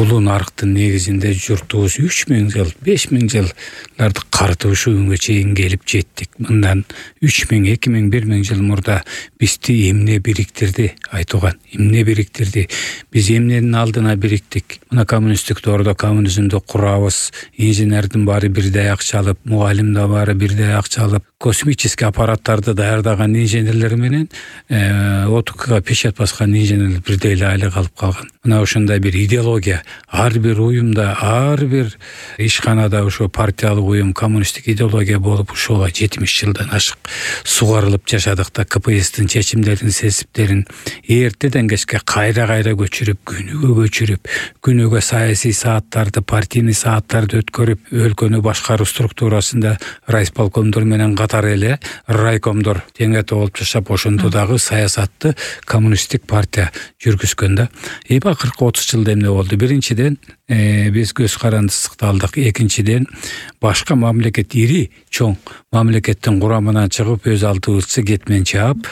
улуу нарыктын негизинде журтубуз 3000 жыл, 5000 жылдарды карытып ушу күнгө чейин келип жеттик. Мындан 3000, 2000, 1000 жыл мурда бизди эмне бириктирди айтуган? Эмне бириктирди? Биз эмненин алдына бириктик? Мына коммунисттик доордо коммунизмди курабыз, инженердин баары бирдей акча алып, мугалим да баары бирдей акча алып, космический аппараттарды даярдаган инженерлер менен ОТКга печать баскан инженерлер бирдей эле айлык алып калган. Мына ошондой бир идеология ар бир уюмда, ар бир ишканада ошо партиялык уюм, коммунисттик идеология болуп ушуга 70 жылдан ашык сугарылып жашадык да. КПСстин чечимдерин, сесиптерин эртеден кечке кайра көчүрүп, күнүгө саясий сааттарды, партийный сааттарды өткөрүп, өлкөнү башкаруу структурасында райисполкомдор менен катар эле райкомдор теңете болуп жашап, ошондо дагы саясатты коммунисттик партия жүргүзгөн да. Акыркы 30 жылда эмне болду? Биринчиден биз көз карандысыкты алдык. Экинчиден башка мамлекет, ири чоң мамлекеттин курамынан чыгып, өз алдыбызча кетмен чаап,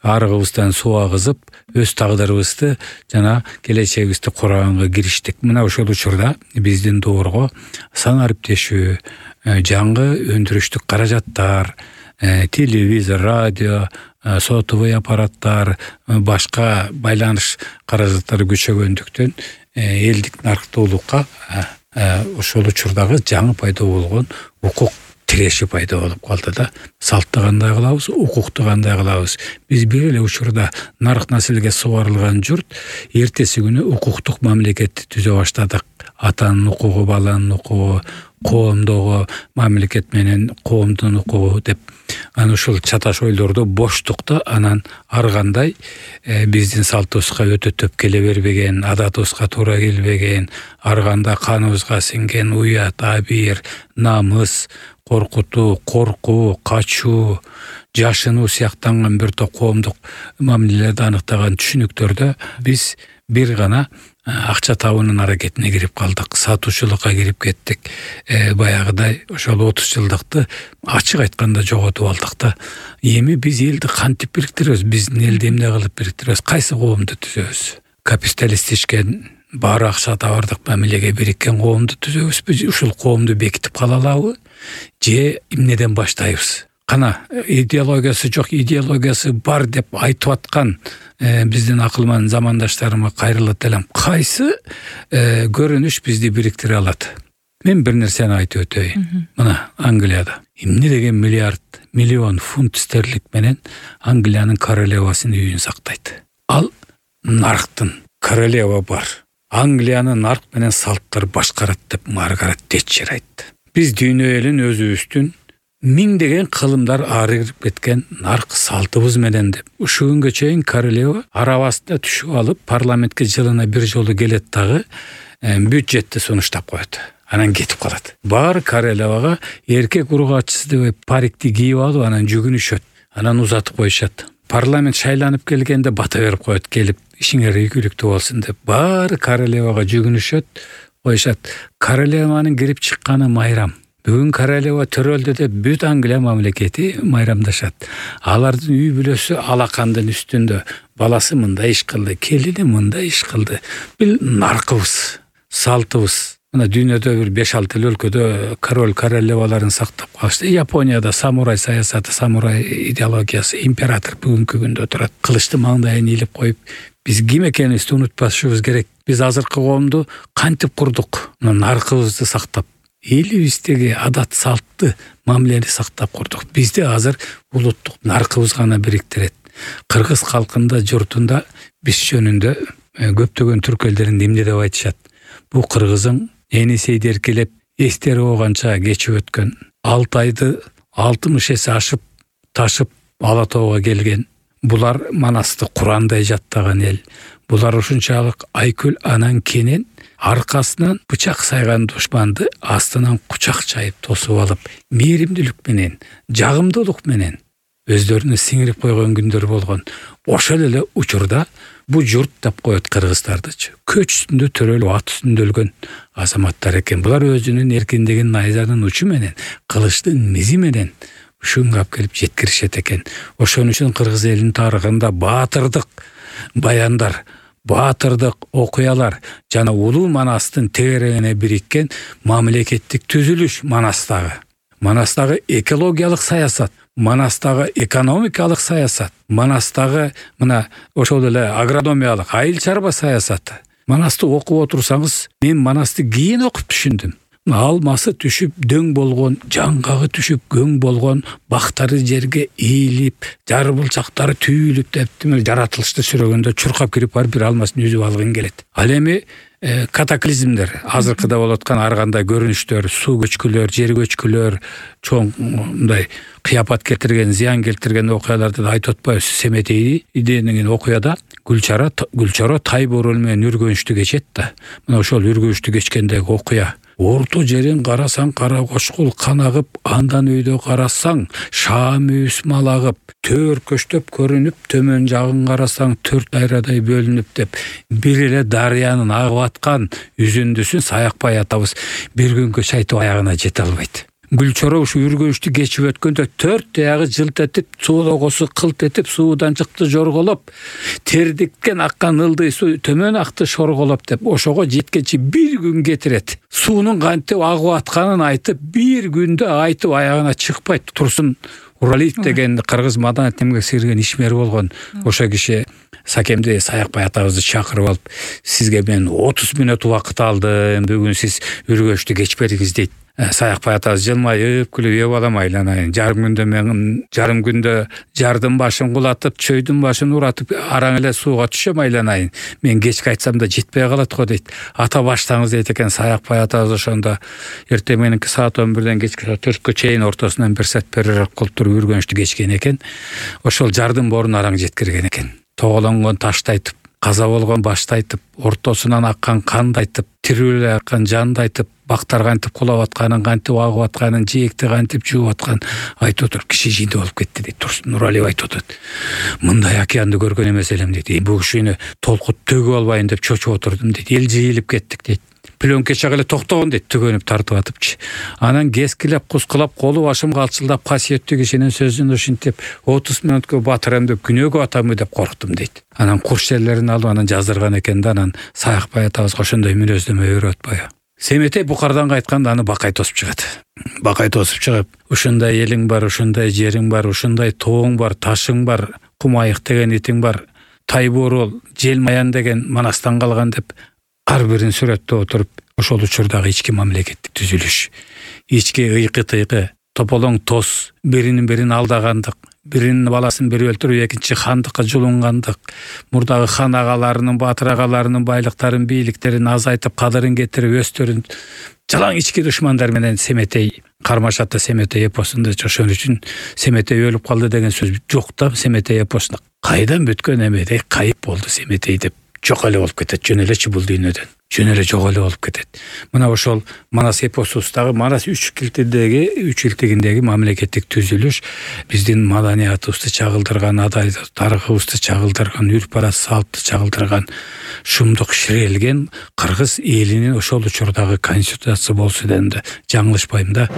арыгыбыздан суу агызып, өз тагдырыбызды жана келечегибизди кураганга кириштик. Мына ошол учурда биздин доорго сан ариптешүү, жаңы өндүрүштүк каражаттар, телевизор, радио, сотовый аппараттар, башка байланыш каражаттары күчөгөндүктөн элдик нарктуулукка ошол учурдагы жаңы пайда болгон укук тиреши пайда болуп калды да. Салтты кандай кылабыз, укукту кандай кылабыз? Биз бир эле учурда нарк населге сугарылган журт эртеси күнү укуктук мамлекетти түзө баштадык. Атанын укугу, баланын укугу, коомдогу мамлекет менен коомдун укугу деп анан ушул чаташ ойлорду боштукта анан ар кандай биздин салтыбызга өтө төп келе бербеген, адатыбызга туура келбеген, ар кандай каныбызга сиңген уят, абийир, намыс, коркутуу, коркуу, качуу, жашынуу сыяктанган бир топ коомдук мамилелерди аныктаган түшүнүктөрдө биз бир гана акча табуунун аракетине кирип калдык, сатуучулукка кирип кеттик. Баягыдай ошол 30 жылдыкты ачык айтканда жоготуп алдык да. Эми биз элди кантип бириктиребиз? Биздин элди эмне кылып бириктиребиз? Кайсы коомду түзөбүз? Капиталистичкен баары акча табардык мамилеге бириккен коомду түзөбүзбү? Ушул коомду бекитип кала алабы? Же эмнеден баштайбыз? Кана идеологиясы жок, идеологиясы бар деп айтып аткан биздин акылман замандаштарыма кайрылып элем. Кайсы көрүнүш бизди бириктире алат? Мен бир нерсени айтып өтөйүн. Мына Англияда эмне деген миллион фунт стерлинг менен Англиянын королевасынын үйүн сактайт. Ал нарктын королева бар. Англияны нарк менен салттар башкарат деп Маргарет Тэтчер айтты. Биз дүйнө элин өзүбүздүн миңдеген кылымдар арыгып кеткен нарк салтыбыз менен деп. Ушу күнгө чейин королева арабасында түшүп алып, парламентке жылына бир жолу келет дагы бюджетти сунуштап коет. Анан кетип калат. Баары королевага эркек ургачысы деп парикти кийип алып, анан жүгүнүшөт. Анан узатып коюшат. Парламент шайланып келгенде бата берип коет, келип ишиңер ийгиликтүү болсун деп. Баары королевага жүгүнүшөт, коюшат. Королеванын кирип чыкканы майрам. Бүгүн королева төрөлдү деп бүт Англия мамлекети майрамдашат. Алардын үй бүлөсү алакандын үстүндө. Баласы мындай иш кылды, келини мындай иш кылды. Бул наркыбыз, салтыбыз. Мына дүйнөдө бир 5-6 өлкөдө королеваларын сактап калышты. Японияда самурай саясаты, самурай идеологиясы, император бүгүнкү күндө турат. Кылычты маңдайын ийилип коюп, биз ким экенибизди унутпашыбыз керек. Биз азыркы коомду кантип курдук? Наркыбызды сактап, элибиздеги адат салтты мамилени сактап курдук. Бизде азыр улуттук наркыбыз гана бириктирет. Кыргыз калкында, журтунда биз жөнүндө көптөгөн түрк элдеринде эмне деп айтышат? Бу кыргызың энесейди эркелеп, эстери оганча кечип өткөн. 6 айды 60 эсе ашып, ташып Ала тоого келген. Булар Манасты Курандай жаттаган эл. Булар ушунчалык айкөл анан кенен аркасынан бычак сайган душманды астынан кучак чайып тосуп алып, мээримдүүлүк менен, жагымдуулук менен өздөрүнө сиңирип койгон күндөр болгон. Ошол эле учурда бу журт деп коет кыргыздардычы. Көч үстүндө төрөлүп, ат үстүндө өлгөн азаматтар экен. Булар өзүнүн эркиндигин найзанын учу менен, кылычтын мизи менен ушунга алып келип жеткиришет экен. Ошон үчүн кыргыз элинин тарыхында баатырдык баяндар, баатырдык окуялар жана улуу Манастын тегерегине бириккен мамлекеттик түзүлүш Манастагы экологиялык саясат, Манастагы экономикалык саясат, Манастагы мына ошол эле агрономиялык айыл чарба саясаты. Манасты окуп отурсаңыз, мен Манасты кийин окуп түшүндүм. Алмасы түшүп дөң болгон, жаңгагы түшүп көң болгон, бактары жерге ийилип, жарбылчактары түйүлүп деп жаратылышты сүрөгөндө чуркап кирип барып бир алмасын үзүп алгың келет. Ал эми катаклизмдер, азыркыда болуп аткан ар кандай көрүнүштөр, суу көчкүлөр, жер көчкүлөр, чоң мындай кыяпат келтирген, зыян келтирген окуяларды да айтып атпайбыз. Семетей деген окуяда Гүлчара Тайбурул менен үргөнүштү кечет да. Мына ошол үргөнүштү кечкендеги окуя. Орто жерин карасаң кара кошкул канагып, андан өйдө карасаң шаам үйүс малагып, төр көчтөп көрүнүп, төмөн жагын карасаң 4 дайрадай бөлүнүп деп бир эле дарыянын агып аткан үзүндүсүн саякпай атабыз. Бир күнгө чайтып аягына жете албайт. Гүлчара ушу үргөнүштү кечип өткөндө 4 таягы жылт этип, суулогосу кылт этип, суудан чыкты жорголоп, тердиккен аккан ылдый суу төмөн акты шорголоп деп ошого жеткенче бир күн кетирет. Суунун кантип агып атканын айтып, бир күндө айтып аягына чыкпайт. Турсун Уралиев деген кыргыз маданият эмгек сиңирген ишмер болгон. Ошо киши Сакемди Саякбай атабызды чакырып алып, сизге мен 30 мүнөт убакыт алдым, бүгүн сиз үргөнүштү кечпедиңиз дейт. Саякбай атабыз жылмайып күлүп балам айланайын. Жарым күндө жардын башын кулатып, чөйдүн башын уратып, араң эле сууга түшөм айланайын. Мен кечке айтсам да жетпей калат го дейт. Ата баштаңыз дейт экен. Саякбай атабыз ошондо эртең мененки саат 11ден кечки 4кө чейин ортосунан бир саат перерыв кылып туруп үргөнүштү кечкен экен. Ошол жардын борун араң жеткирген экен. Тоголонгон ташты айтып, каза болгон башты айтып, ортосунан аккан канды айтып, тирүү эле аккан жанды айтып, бактар кантип кулап атканын, кантип агып атканын, жээкти кантип жууп атканын айтып отуруп киши жийди болуп кетти дейт. Турсун Нуралиев айтып атат. Мындай океанды көргөн эмес элем дейт. Бул кишини толкут төгүп албайын деп чочуп отурдум дейт. Эл жыйылып кеттик дейт. Пленка чак эле токтогон дейт, түгөнүп тартып атыпчы. Анан кескилеп, кускулап, колу башым калчылдап, касиеттүү кишинин сөзүн ушинтип 30 мүнөткө батырам деп күнөөгө атамы деп корктум дейт. Анан курс жерлерин алып анан жаздырган экен да, анан Саякбай атабызга ошондой мүнөздөмө берип атпайбы. Семетей Букардан кайтканда аны Бакай тосуп чыгат. Бакай тосуп чыгып, ушундай элиң бар, ушундай жериң бар, ушундай тооң бар, ташың бар, Кумайык деген итиң бар, Тайбурул, Желмаян деген Манастан калган деп ар бирин сүрөттөп отуруп, ошол учурдагы ички мамлекеттик түзүлүш, ички ыйкы-тыйкы, тополоң тос, бирин алдагандык, биринин баласын бири өлтүрүп, экинчи хандыкка жулунгандык, мурдагы хан агаларынын, батыр агаларынын байлыктарын, бийликтерин азайтып, кадырын кетирип, өстөрүн жалаң ички душмандар менен Семетей кармашатта. Семетей эпосунда ошон үчүн Семетей өлүп калды деген сөз жок да. Семетей эпосунда кайдан бүткөн эмедей кайып болду Семетей деп жок эле болуп кетет. Жөн элечи бул дүйнөдөн. Жөн эле жок эле болуп кетет. Мына ошол Манас эпосубуздагы Манас үч илтигиндеги мамлекеттик түзүлүш биздин маданиятыбызды чагылдырган, адай тарыхыбызды чагылдырган, үрп-арат салтты чагылдырган, шумдук ширелген кыргыз элинин ошол учурдагы конституциясы болсо дегенде жаңылышпайм да.